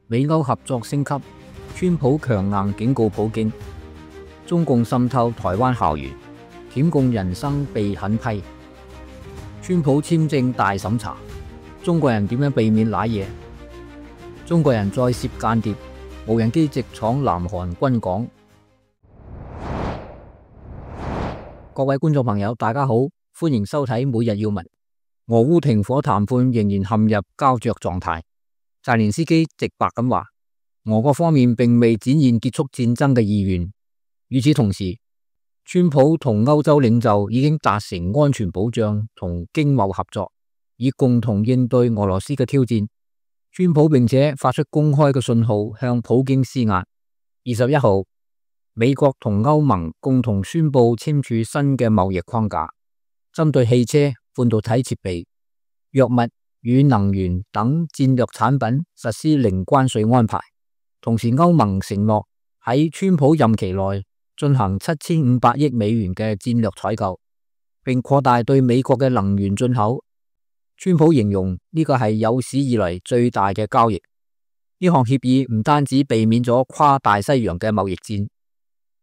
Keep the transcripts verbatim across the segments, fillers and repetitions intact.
美歐合作升級，川普強硬警告普京，中共滲透台灣校園，舔共人生被狠批，川普簽證大審查，中國人點樣避免瀨嘢？中國人再涉間諜，無人機直闖南韓軍港。各位觀眾朋友，大家好，歡迎收睇每日要聞。俄烏停火談判仍然陷入膠着狀態。澤連斯基直白咁話，俄國方面並未展現結束戰爭嘅意願。與此同時，川普同歐洲領袖已經達成安全保障同經貿合作，以共同應對俄羅斯嘅挑戰。川普並且發出公開嘅信號向普京施壓。二十一號，美國同歐盟共同宣布簽署新嘅貿易框架，針對汽車、半導體設備、藥物與能源等戰略產品實施零關稅安排。同時，歐盟承諾喺川普任期內進行七千五百億美元嘅戰略採購，並擴大對美國嘅能源進口。川普形容呢個係有史以來最大嘅交易。呢項協議唔單止避免咗跨大西洋嘅貿易戰，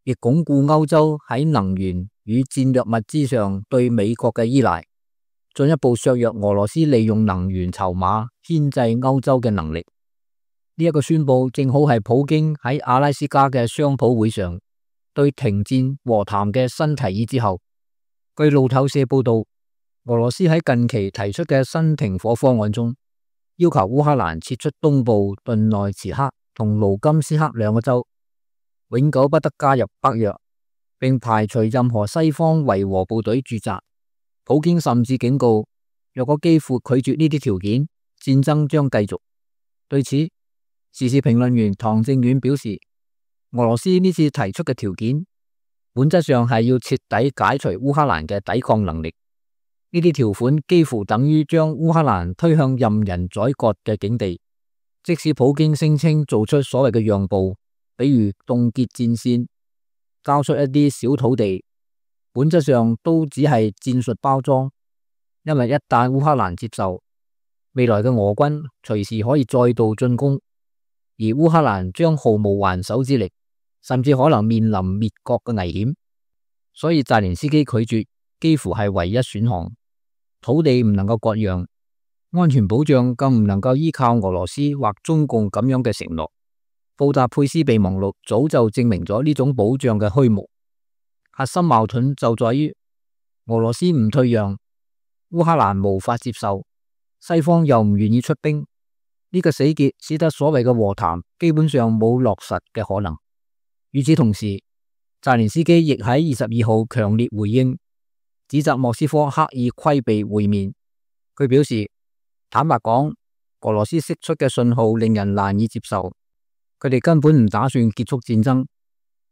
亦鞏固歐洲喺能源與戰略物資上對美國嘅依賴，進一步削弱俄羅斯利用能源籌碼牽制歐洲嘅能力。呢、這、一個宣布正好係普京喺阿拉斯加嘅商討會上對停戰和談嘅新提議之後。據路透社報道，俄羅斯喺近期提出嘅新停火方案中，要求烏克蘭撤出東部頓內茨克同盧甘斯克兩個州，永久不得加入北約，並排除任何西方維和部隊駐紮。普京甚至警告，若果基輔拒絕呢啲條件，戰爭將繼續。對此，時事評論員唐正遠表示，俄羅斯呢次提出嘅條件，本質上係要徹底解除烏克蘭嘅抵抗能力。呢啲條款幾乎等於將烏克蘭推向任人宰割嘅境地。即使普京聲稱做出所謂嘅讓步，比如凍結戰線、交出一啲小土地，本質上都只係戰術包裝。因為一旦烏克蘭接受，未來嘅俄軍隨時可以再度進攻，而烏克蘭將毫無還手之力，甚至可能面臨滅國嘅危險。所以澤連斯基拒絕幾乎係唯一選項。土地唔能夠割讓，安全保障更唔能夠依靠俄羅斯或中共咁樣嘅承諾。布達佩斯備忘錄早就證明咗呢種保障嘅虛無。核心矛盾就在於俄羅斯唔退讓，烏克蘭無法接受，西方又唔願意出兵。呢個死結使得所謂嘅和談基本上冇落實嘅可能。與此同時，澤連斯基亦喺二十二號強烈回應，指責莫斯科刻意規避會面。佢表示，坦白講，俄羅斯釋出嘅信號令人難以接受，佢哋根本唔打算結束戰爭。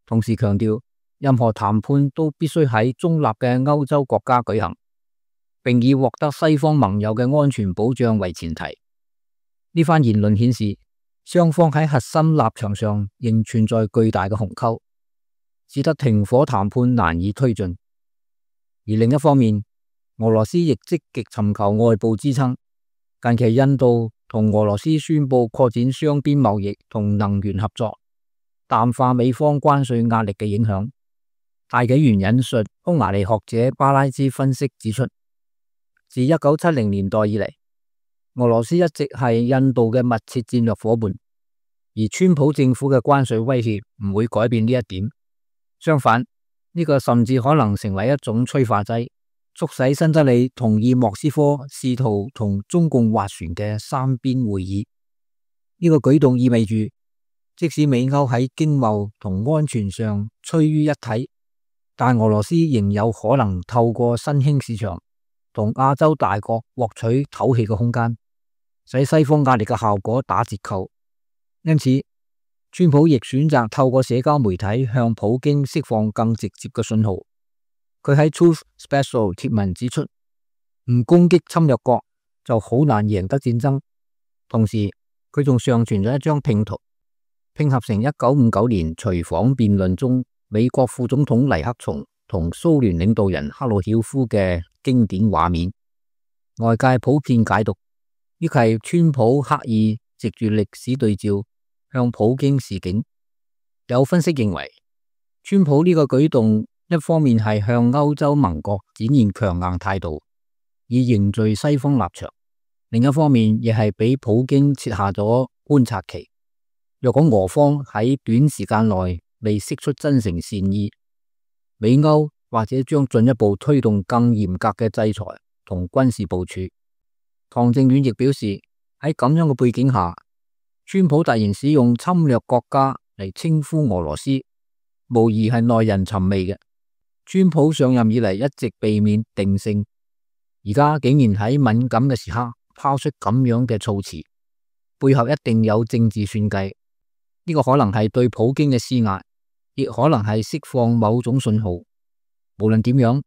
同時強調，任何談判都必須喺中立嘅歐洲國家舉行，並以獲得西方盟友嘅安全保障為前提。呢番言論顯示，雙方喺核心立場上仍存在巨大嘅鴻溝，使得停火談判難以推進。而另一方面，俄羅斯亦積極尋求外部支撐。近期印度同俄羅斯宣布擴展雙邊貿易同能源合作，淡化美方關稅壓力嘅影響。大紀元引述匈牙利學者巴拉茲分析指出，自一九七零年代以嚟，俄羅斯一直係印度嘅密切戰略夥伴，而川普政府嘅關稅威脅唔會改變呢一點。相反，呢個甚至可能成為一種催化劑，促使新德里同意莫斯科試圖同中共斡旋嘅三邊會議。呢個舉動意味住，即使美歐喺經貿同安全上趨於一體，但俄羅斯仍有可能透過新興市場同亞洲大國獲取透氣嘅空間，使西方壓力嘅效果打折扣。因此，川普亦選擇透過社交媒體向普京釋放更直接嘅信號。佢喺 Truth Special 貼文指出，唔攻擊侵略國就好難贏得戰爭。同時，佢仲上傳咗一張拼圖，拼合成一九五九年隨訪辯論中美國副總統尼克松同蘇聯領導人赫魯曉夫嘅經典畫面。外界普遍解讀，呢係川普刻意藉住歷史對照，向普京示警。有分析認為，川普呢個舉動一方面係向歐洲盟國展現強硬態度，以凝聚西方立場；另一方面亦係俾普京設下咗觀察期。若果俄方喺短時間內未釋出真誠善意，美歐或者將進一步推動更嚴格嘅制裁同軍事部署。唐正遠亦表示，喺咁樣嘅背景下，川普突然使用侵略國家嚟稱呼俄羅斯，無疑係耐人尋味嘅。川普上任以嚟一直避免定性，而家竟然喺敏感嘅時刻拋出咁樣嘅措辭，背後一定有政治算計。呢個可能係對普京嘅施壓，亦可能係釋放某種信號。無論點樣，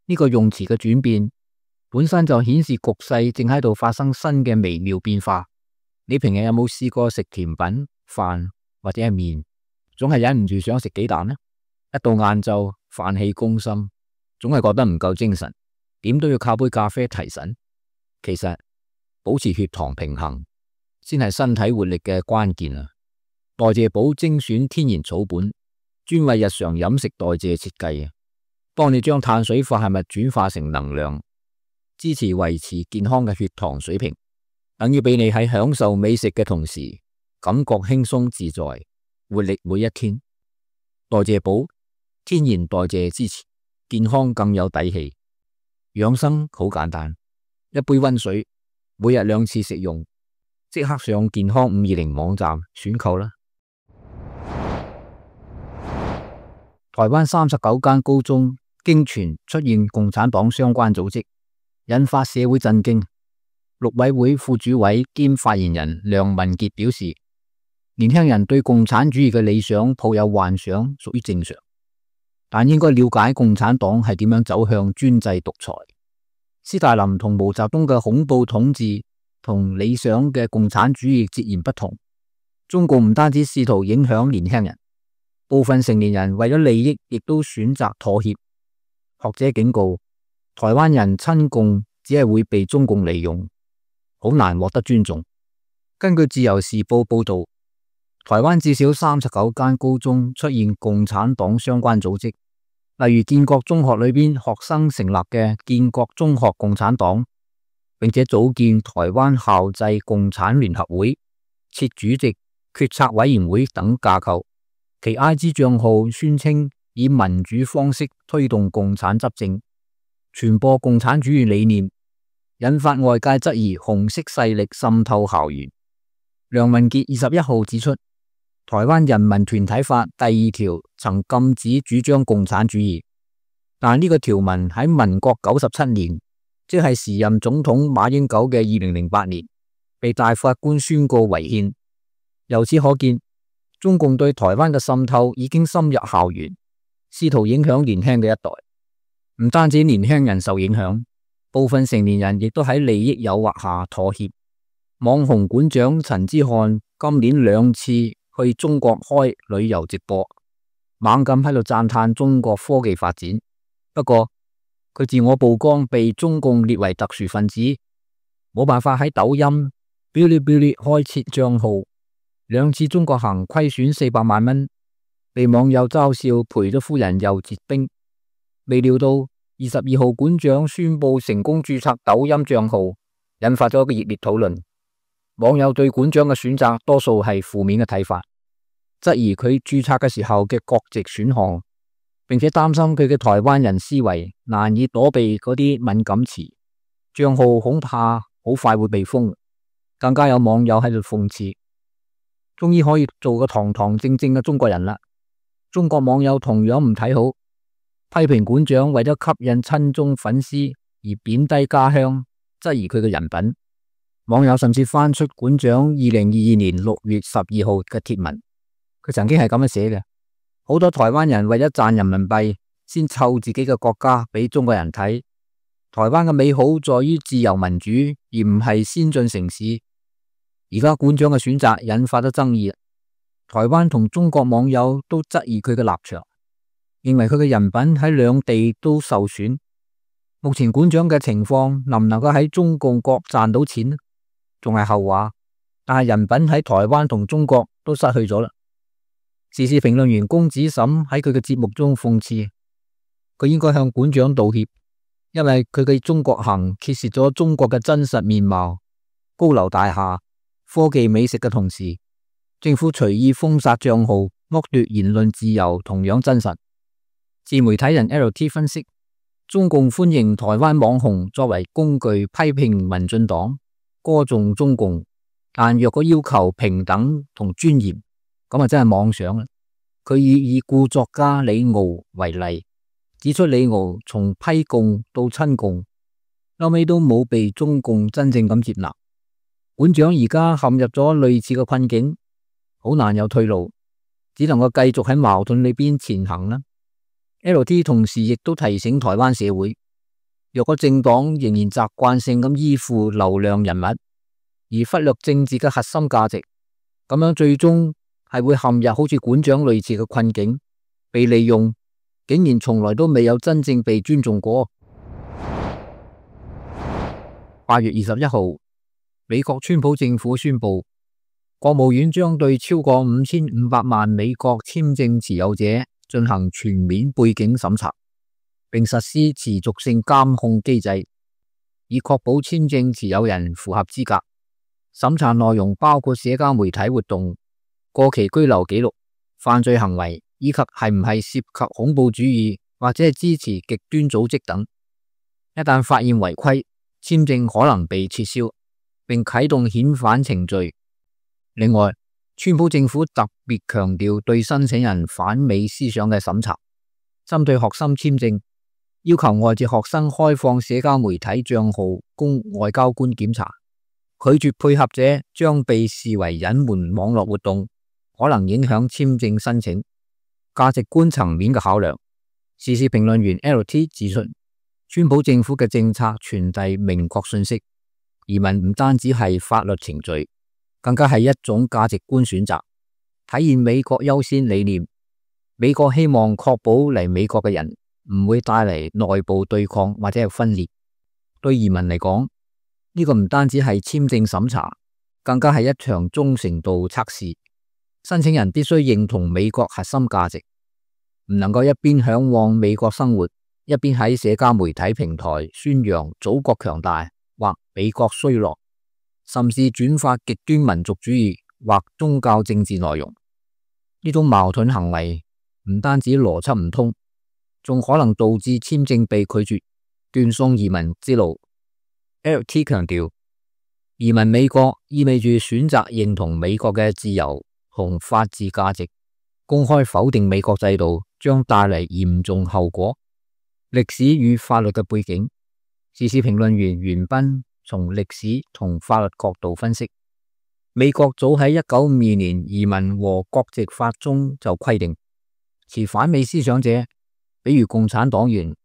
呢個用詞嘅轉變本身就顯示局勢正喺度發生新嘅微妙變化。你平日有冇試過食甜品、飯或者係麵，總係忍唔住想食雞蛋呢？一到晏晝飯氣攻心，總係覺得唔夠精神，點都要靠杯咖啡提神。其實保持血糖平衡先係身體活力嘅關鍵啊！代謝寶精選天然草本，專為日常飲食代謝設計，幫你將碳水化合物轉化成能量，支持維持健康嘅血糖水平，等於俾你喺享受美食嘅同時，感覺輕鬆自在，活力每一天。代謝寶天然代謝支持，健康更有底氣。養生好簡單，一杯溫水，每日兩次食用，即刻上健康五二零網站選購啦！台灣三十九間高中經傳出現共產黨相關組織，引發社會震驚。陸委會副主委兼發言人梁文傑表示，年輕人對共產主義嘅理想抱有幻想屬於正常，但應該了解共產黨係點樣走向專制獨裁。斯大林同毛澤東嘅恐怖統治同理想嘅共產主義截然不同。中共唔單止試圖影響年輕人，部分成年人為咗利益，亦都選擇妥協。學者警告，台灣人親共只係會被中共利用，好難獲得尊重。根據自由時報報道，台灣至少三十九間高中出現共產黨相關組織，例如建國中學裏邊學生成立嘅建國中學共產黨，並且組建台灣校際共產聯合會，設主席、決策委員會等架構。其 I G 賬號宣稱以民主方式推動共產執政，傳播共產主義理念，引發外界質疑紅色勢力滲透校園。梁文傑二十一號指出，台灣人民團體法第二條曾禁止主張共產主義，但呢個條文喺民國九十七年，即係時任總統馬英九嘅二零零八年，被大法官宣告違憲。由此可見，中共對台灣嘅滲透已經深入校園，試圖影響年輕嘅一代。唔單止年輕人受影響，部分成年人亦都喺利益誘惑下妥協。網紅館長陳之漢今年兩次去中國開旅遊直播，猛咁喺度讚嘆中國科技發展。不過佢自我曝光被中共列為特殊分子，冇辦法喺抖音、嗶哩嗶哩開設賬號。兩次中國行虧損四百萬蚊，被網友嘲笑賠咗夫人又折兵。未料到二十二號館長宣布成功註冊抖音賬號，引發咗一個熱烈討論。網友對館長嘅選擇多數係負面嘅睇法，質疑佢註冊嘅時候嘅國籍選項，並且擔心佢嘅台灣人思維難以躲避嗰啲敏感詞，賬號恐怕好快會被封。更加有網友喺度諷刺，終於可以做個堂堂正正嘅中國人啦。中國網友同樣唔睇好，批評館長為咗吸引親中粉絲而貶低家鄉，質疑佢嘅人品。網友甚至翻出館長二零二二年六月十二號嘅貼文，佢曾經係咁樣寫嘅：好多台灣人為咗賺人民幣，先湊自己嘅國家俾中國人睇。台灣嘅美好在於自由民主，而唔係先進城市。而家館長嘅選擇引發咗爭議，台灣同中國網友都質疑佢嘅立場，認為佢嘅人品喺兩地都受損。目前館長嘅情況能唔能夠喺中共國賺到錢，仲係後話，但係人品喺台灣同中國都失去咗啦。時事評論員龔子沈喺佢嘅節目中諷刺，佢應該向館長道歉，因為佢嘅中國行揭示咗中國嘅真實面貌。高樓大廈、科技美食嘅同時，政府隨意封殺賬號、剝奪言論自由同樣真實。自媒體人 L T 分析，中共歡迎台灣網紅作為工具批評民進黨、歌頌中共，但若果要求平等同尊嚴，咁啊真係妄想啦。佢以已故作家李敖為例，指出李敖從批共到親共，後尾都冇被中共真正咁接納。館長而家陷入咗類似嘅困境，好難有退路，只能夠繼續喺矛盾裏邊前行啦。L T 同時亦都提醒台灣社會，若果政黨仍然習慣性咁依附流量人物，而忽略政治嘅核心價值，咁樣最終係會陷入好似館長類似嘅困境，被利用，竟然從來都未有真正被尊重過。八月二十一號，美國川普政府宣布，國務院將對超過五千五百萬美國簽證持有者進行全面背景審查，並實施持續性監控機制，以確保簽證持有人符合資格。審查內容包括社交媒體活動、過期居留記錄、犯罪行為以及係唔係涉及恐怖主義或者係支持極端組織等。一旦發現違規，簽證可能被撤銷，並啟動遣返程序。另外，川普政府特別強調對申請人反美思想嘅審查，針對學生簽證，要求外籍學生開放社交媒體賬號供外交官檢查，拒絕配合者將被視為隱瞞網絡活動，可能影響簽證申請。價值觀層面嘅考量，時事評論員 L T 指出，川普政府嘅政策傳遞明確信息，移民唔單止係法律程序，更加係一種價值觀選擇，體現美國優先理念。美國希望確保嚟美國嘅人唔會帶嚟內部對抗或者係分裂。對移民嚟講，呢個唔單止係簽證審查，更加係一場忠誠度測試。申請人必須認同美國核心價值，唔能夠一邊向往美國生活，一邊喺社交媒體平台宣揚祖國強大或美國衰落，甚至轉發極端民族主義或宗教政治內容。呢種矛盾行為唔單止邏輯唔通，仲可能導致簽證被拒絕，斷送移民之路。L T 強調，移民美國意味住選擇認同美國嘅自由同法治價值，公開否定美國制度將帶嚟嚴重後果。歷史與法律嘅背景，時事評論員袁彬從歷史同法律角度分析，美國早喺一九五二年移民和國籍法中就規定，持反美思想者，比如共產黨員、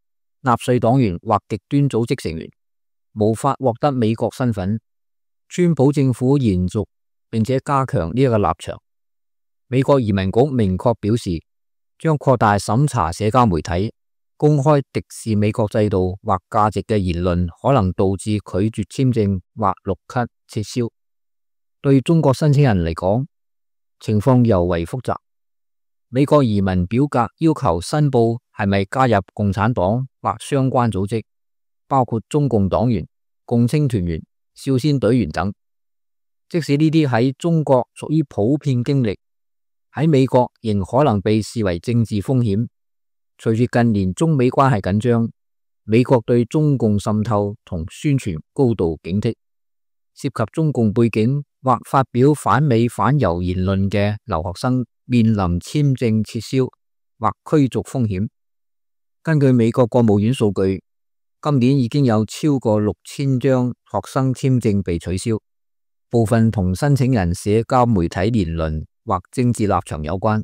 納粹黨員或極端組織成員，無法獲得美國身份。川普政府延續並且加強呢一個立場。美國移民局明確表示，將擴大審查社交媒體公開敵視美國制度或價值嘅言論，可能導致拒絕簽證或綠卡撤銷。對中國申請人嚟講，情況尤為複雜。美國移民表格要求申報係咪加入共產黨或相關組織，包括中共黨員、共青團員、少先隊員等。即使呢啲喺中國屬於普遍經歷，喺美國仍可能被視為政治風險。隨住近年中美關係緊張，美國對中共滲透同宣傳高度警惕，涉及中共背景或發表反美反猶言論嘅留學生面臨簽證撤銷或驅逐風險。根據美國國務院數據，今年已經有超過六千張學生簽證被取消，部分同申請人社交媒體言論或政治立場有關。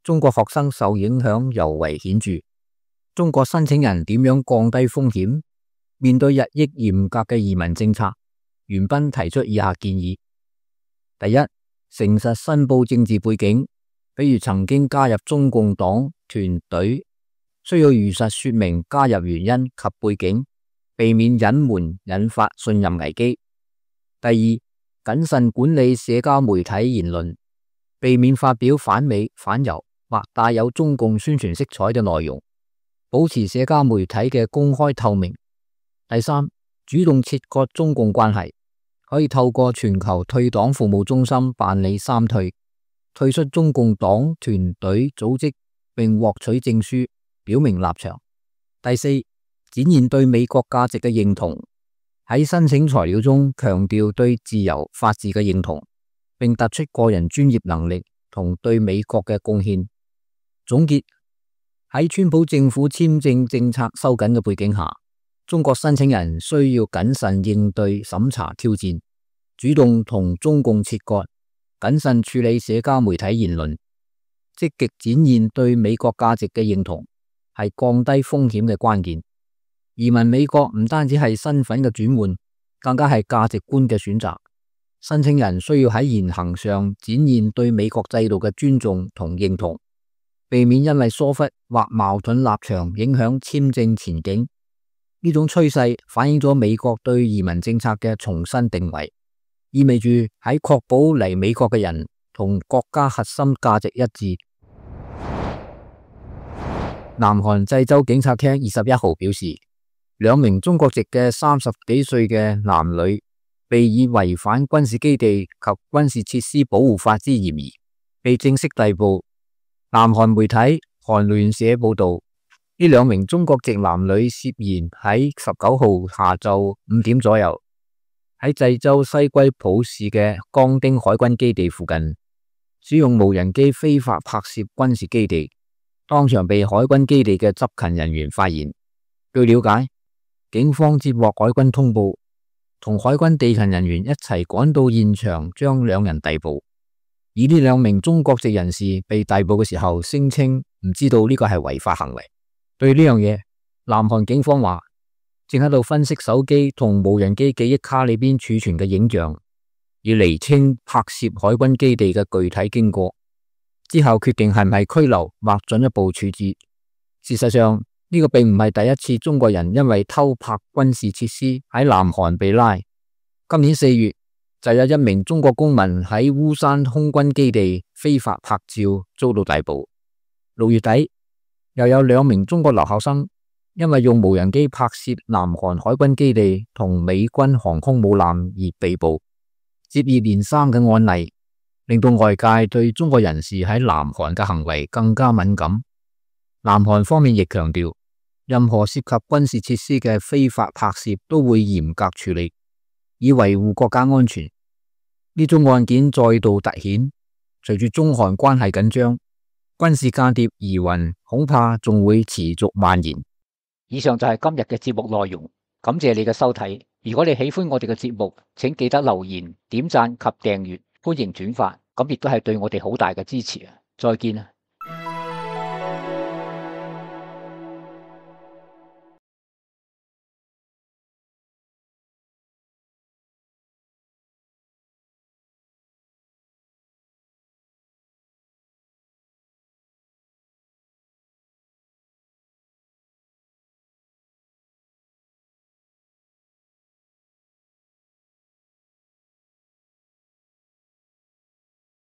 中國學生受影響尤為顯著。中國申請人點樣降低風險？面對日益嚴格嘅移民政策，袁彬提出以下建議：第一，誠實申報政治背景，比如曾經加入中共黨團隊，需要如實說明加入原因及背景，避免隱瞞引發信任危機。第二，謹慎管理社交媒體言論，避免發表反美、反猶或帶有中共宣傳色彩嘅內容，保持社交媒體嘅公開透明。第三，主動切割中共關係，可以透過全球退黨服務中心辦理三退，退出中共黨團隊組織並獲取證書，表明立場。第四，展現對美國價值嘅認同，喺申請材料中強調對自由法治嘅認同，並突出個人專業能力同對美國嘅貢獻。總結，喺川普政府簽證政策收緊嘅背景下，中國申請人需要謹慎應對審查挑戰，主動同中共切割，謹慎處理社交媒體言論，積極展現對美國價值嘅認同，係降低風險嘅關鍵。移民美國唔單止係身份嘅轉換，更加係價值觀嘅選擇。申請人需要喺言行上展現對美國制度嘅尊重同認同，避免因為疏忽或矛盾立場影響簽證前景。呢種趨勢反映咗美國對移民政策嘅重新定位，意味住喺確保嚟美國嘅人同國家核心價值一致。南韓濟州警察廳二十一號表示，兩名中國籍嘅三十幾歲嘅男女被以違反軍事基地及軍事設施保護法之嫌疑，被正式逮捕。南韓媒體韓聯社報道，呢兩名中國籍男女涉嫌喺十九號下晝五點左右，喺濟州西歸浦市嘅江丁海軍基地附近，使用無人機非法拍攝軍事基地，當場被海軍基地嘅執勤人員發現。據了解，警方接獲海軍通報，同海軍地勤人員一齊趕到現場，將兩人逮捕。而呢兩名中國籍人士被逮捕嘅時候，聲稱唔知道呢個係違法行為。對呢樣嘢，南韓警方話正喺度分析手機同無人機記憶卡裏邊儲存嘅影像，以釐清拍攝海軍基地嘅具體經過，之後決定係唔係拘留或進一步處置。事實上，呢個並唔係第一次中國人因為偷拍軍事設施喺南韓被拉。今年四月就有一名中國公民喺烏山空軍基地非法拍照遭到逮捕。六月底又有兩名中國留學生因為用無人機拍攝南韓海軍基地同美軍航空母艦而被捕。接二連三嘅案例令到外界對中國人士喺南韓嘅行為更加敏感。南韓方面亦強調，任何涉及軍事設施嘅非法拍攝都會嚴格處理，以維護國家安全。呢宗案件再度凸顯，隨住中韓關係緊張，軍事間諜疑雲恐怕仲會持續蔓延。以上就係今日嘅節目內容，感謝你嘅收睇。如果你喜歡我哋嘅節目，請記得留言、點讚及訂閱，歡迎轉發，咁亦都係對我哋好大嘅支持啊！再見啊！